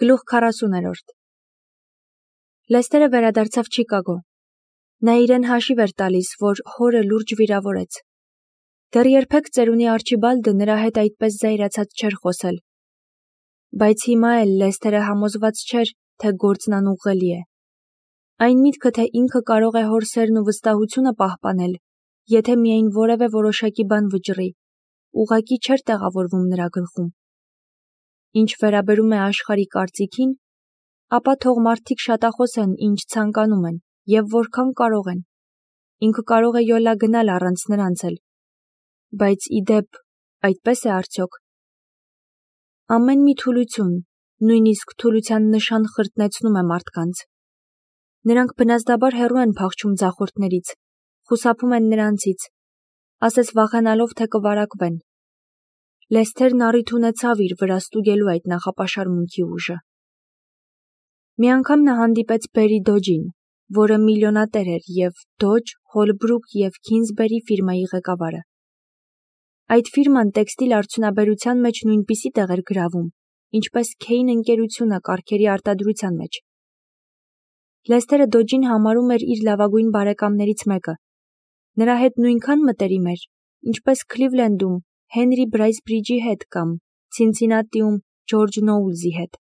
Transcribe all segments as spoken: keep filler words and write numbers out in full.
Գլուխ քառասուներորդ Լեսթերը վերադարձավ Չիկագո։ Նա իրեն հաշիվ էր տալիս, որ հորը լուրջ վիրավորեց։ Դեռ երբեք ծերունի Արչիբալդը նրա հետ այդպես զայրացած չէր խոսել։ Բայց հիմա էլ Լեսթերը համոզված չէր, թե գործն անուղղելի է։ Այն միտքը, թե ինքը կարող է հոր սերն ու վստահությունը պահպանել, եթե միայն որևէ որոշակի բան վճռի, ուղղակի չէր տեղավորվում նրա գլխում։ Ինչ վերաբերում է աշխարհի կարծիքին, ապա թող մարդիկ շատախոս են, ինչ ցանկանում են եւ որքան կարող են։ Ինքը կարող է յոլա գնալ առանց նրանց էլ։ Բայց ի դեպ, այդպես է արդյոք։ Ամեն մի թուլություն, նույնիսկ թուլության նշան խրտնեցնում է մարդկանց։ Նրանք բնազդաբար հեռու են փախչում ձախորդներից, խուսափում են նրանցից, ասես վախենալով, թե կվարակվեն։ Լեսթերն առիթ ունեցավ իր վրա ստուգելու այդ նախապաշարմունքի ուժը։ Մի անգամ նա հանդիպեց Բերի Դոջին, որը միլիոնատեր էր և Դոջ, Հոլբրուք և Քինզբերի ֆիրմայի ղեկավարը։ Այդ ֆիրման տեքստիլ արդյունաբերության մեջ նույնպիսի տեղ էր գրավում, ինչպես Քեյն ընկերությունը կառքերի արտադրության մեջ։ Լեսթերը Դոջին համարում էր իր լավագույն բարեկամներից մեկը։ Նրա հետ նույնքան մտերիմ էր, ինչպես Քլիվլենդում Հենրի Բրայսբրիջի հետ կամ Ցինցինատիում Ջորջ Նոուլզի հետ։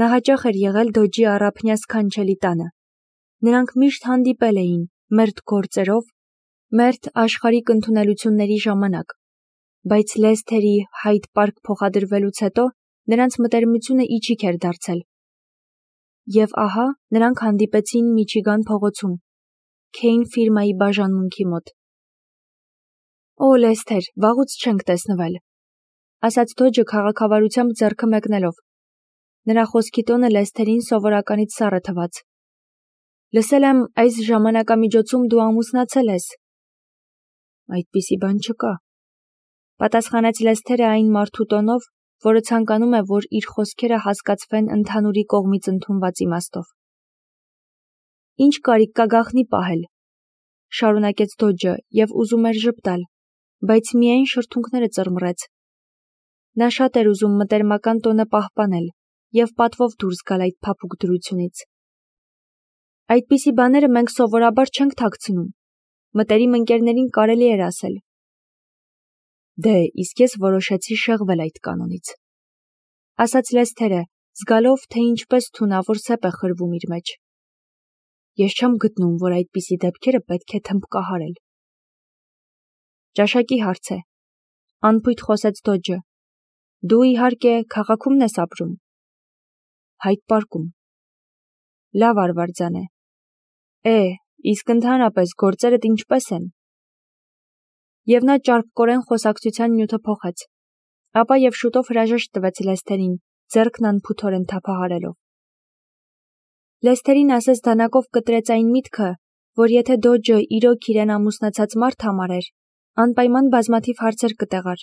Նա հաճախ էր եղել Դոջի առափնյա սքանչելի տանը։ Նրանք միշտ հանդիպել էին մերթ գործերով, մերթ աշխարհիկ ընդունելությունների ժամանակ, բայց Լեսթերի Հայդ Պարք փոխադրվելուց հետո նրանց մտերմությունը իջիկ էր դարձել։ Եվ ահա նրանք հանդիպեցին Միչիգան փողոցում, Քեյն ֆիրմայի բաժանմունքի մոտ։ Օ, Լեսթեր, վաղուց չենք տեսնվել, ասաց Դոջը քաղաքավարությամբ ձեռքը մեկնելով։ Նրա խոսքի տոնը Լեսթերին սովորականից սառը թվաց։ Լսել եմ, այս ժամանակամիջոցում դու ամուսնացել ես։ Այդպիսի բան չկա, պատասխանեց Լեսթերը այն մարդու տոնով, որը ցանկանում է, որ իր խոսքերը հասկացվեն ընդհանուրի կողմից ընդունված իմաստով։ Ինչ կարիք կա գաղտնի պահել, շարունակեց Դոջը և ուզում էր ժպտալ, բայց միայն շրթունքները ծռմռեց։ Նա շատ էր ուզում մտերմական տոնը պահպանել և պատվով դուրս գալ այդ փափուկ դրությունից։ Այդպիսի բաները մենք սովորաբար չենք թաքցնում, մտերիմ ընկերներին կարելի էր ասել։ Դե, իսկ ես որոշեցի շեղվել այդ կանոնից, ասաց Լեսթերը, զգալով, թե ինչպես թունավոր սեպ է խրվում իր մեջ։ Ես չեմ գտնում, որ այդպիսի դեպքերը պետք է թմբկահարել։ Ճաշակի հարց է, անփույթ խոսեց Դոջը։ Դու իհարկե քաղաքում ես ապրում։ Հայդ Պարկում։ Լավ արվարձան է։ Է, իսկ ընդհանրապես գործերդ ինչպես են։ Եվ նա ճարպկորեն խոսակցության նյութը փոխեց, ապա և շուտով հրաժեշտ տվեց Լեսթերին, ձեռքն անփութորեն թափահարելով։ Լեսթերին ասես դանակով կտրեց այն միտքը, որ եթե Դոջը իրոք իրեն ամուսնացած մարդ համարեր, անպայման բազմաթիվ հարցեր կտեղար։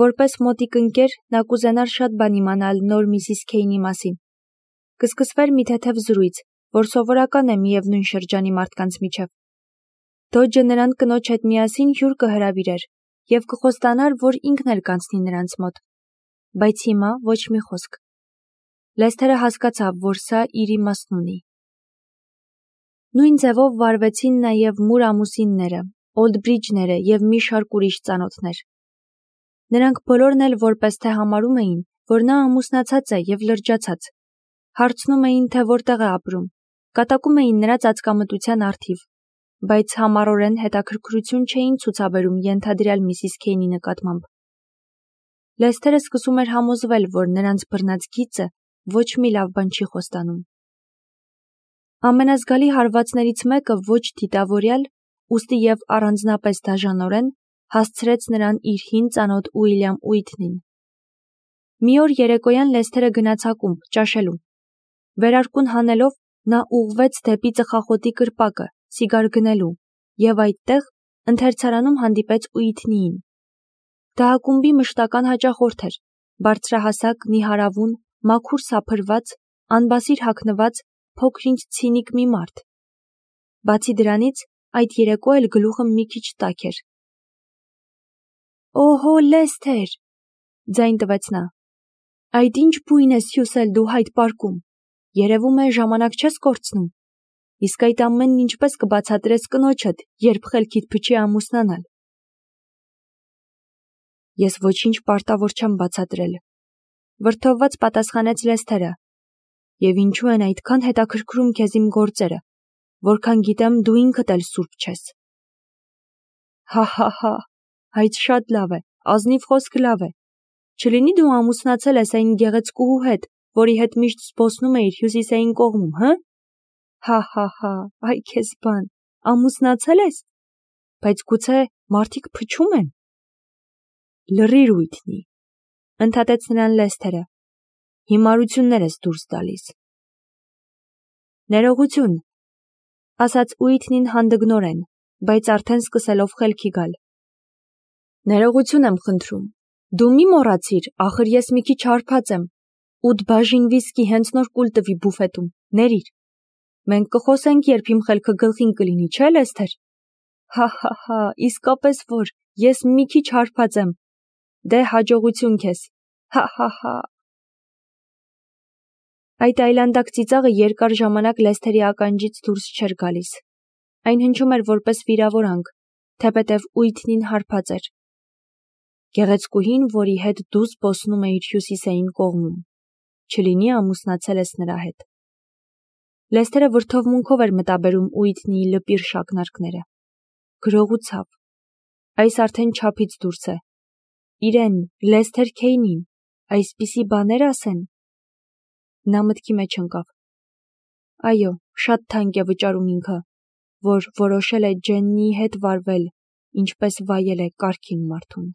Որպես մոտիկ ընկեր, նա կուզենար շատ բան իմանալ նոր Միսիս Քեյնի մասին։ Կսկսվեր մի թեթև զրույց, որ սովորական է միևնույն շրջանի մարդկանց միջև։ Դոջը նրան կնոջ հետ միասին հյուր կհրավիրեր և կխոստանար, որ ինքն էլ կանցնի նրանց մոտ։ Բայց հիմա ոչ մի խոսք։ Լեսթերը հասկացավ, որ սա իր իմաստն ունի։ Նույն ձևով վարվեցին նաև Մուր ամուսինները, Օլդբրիջները և մի շարք ուրիշ ծանոթներ։ Նրանք բոլորն էլ որպես թե համարում էին, որ նա ամուսնացած է և լրջացած։ Հարցնում էին, թե որտեղ է ապրում, կատակում էին նրա ծածկամտության առթիվ, բայց համառորեն հետաքրքրություն չէին ցուցաբերում ենթադրյալ Միսիս Քեյնի նկատմամբ։ Լեսթերը սկսում էր համոզվել, որ նրանց բռնած գիծը ոչ մի լավ բան չի խոստանում։ Ամենազգալի հարվածներից մեկը ոչ դիտավորյալ, ուստի և առանձնապես դաժանորեն հասցրեց նրան իր հին ծանոթ Ուիլյամ Ուիթնին։ Մի օր երեկոյան Լեսթերը գնաց ակումբ ճաշելու։ Վերարկուն հանելով նա ուղղվեց դեպի ծխախոտի կրպակը, սիգար գնելու, և այդտեղ ընթերցարանում հանդիպեց Ուիթնիին։ Դա ակումբի մշտական հաճախորդ էր, բարձրահասակ, նիհարավուն, մաքուր սափրված, անբասիր հագնված, փոքր-ինչ ցինիկ մի մարդ։ Բացի դրանից, այդ երեկո էլ գլուխը մի քիչ տաք էր։ Օհո, Լեսթեր, ձայն տվեց նա։ Այդ ինչ բույն ես հյուսել դու հայտ պարկում, երևում է ժամանակ չես կորցնում, իսկ այդ ամենն ինչպես կբացատրես կնոջդ, երբ խելքիդ փչի ամուսնանալ։ Ես ոչինչ պարտավոր չեմ բացատրել, վրդովված պատասխանեց Լեսթերը, և ինչու են այդքան հետաքրքրում քեզ իմ գործերը, որքան գիտեմ դու ինքդ էլ սուրբ չես։ Հա հա հա, այդ շատ լավ է, ազնիվ խոսք լավ է, չլինի դու ամուսնացել ես այն գեղեցկուհու հետ, որի հետ միշտ զբոսնում էիր հյուսիսային կողմում, հը։ Հա հա հա, այ քեզ բան, ամուսնացել ես, բայց գուցե մարդիկ փչում են։ Լռիր Ուիթնի, ընդհատեց նրան Լեսթերը, հիմարություններ ես դուրս տալիս։ Ներողություն, ասաց Ուիթնին հանդգնորեն, բայց արդեն սկսելով խելքի գալ։ Ներողություն եմ խնդրում, դու մի մոռացիր, ախր ես մի քիչ հարբած եմ, ութ բաժին վիսկի հենց նոր կուլ տվի բուֆետում, ներիր։ Մենք կխոսենք, երբ իմ խելքը գլխին կլինի, չէ՞ Լեսթեր։ Հա հա հա, իսկապես որ, ես մի քիչ հարբած եմ, դե հաջողություն քեզ, հա հա հա։ Այդ այլանդակ ծիծաղը երկար ժամանակ Լեսթերի ականջից դուրս չէր գալիս, այն հնչում էր որպես վիրավորանք, թեպետև Ուիթնին հարբած էր։ Գեղեցկուհին, որի հետ դու զբոսնում էիր հյուսիսային կողմում, չլինի ամուսնացել ես նրա հետ։ Լեսթերը վրդովմունքով էր մտաբերում Ուիթնիի լպիր շակնարկները։ Գրողուցավ, այս արդեն չափից դուրս է։ Իրեն, Լեսթեր Քեյնին, այսպիսի բաներ ասեն։ Նա մտքի մեջ ընկավ։ Այո, շատ թանկ է վճարում ինքը, որ որոշել է Ջեննիի հետ վարվել, ինչպես վայել է կարգին մարդուն։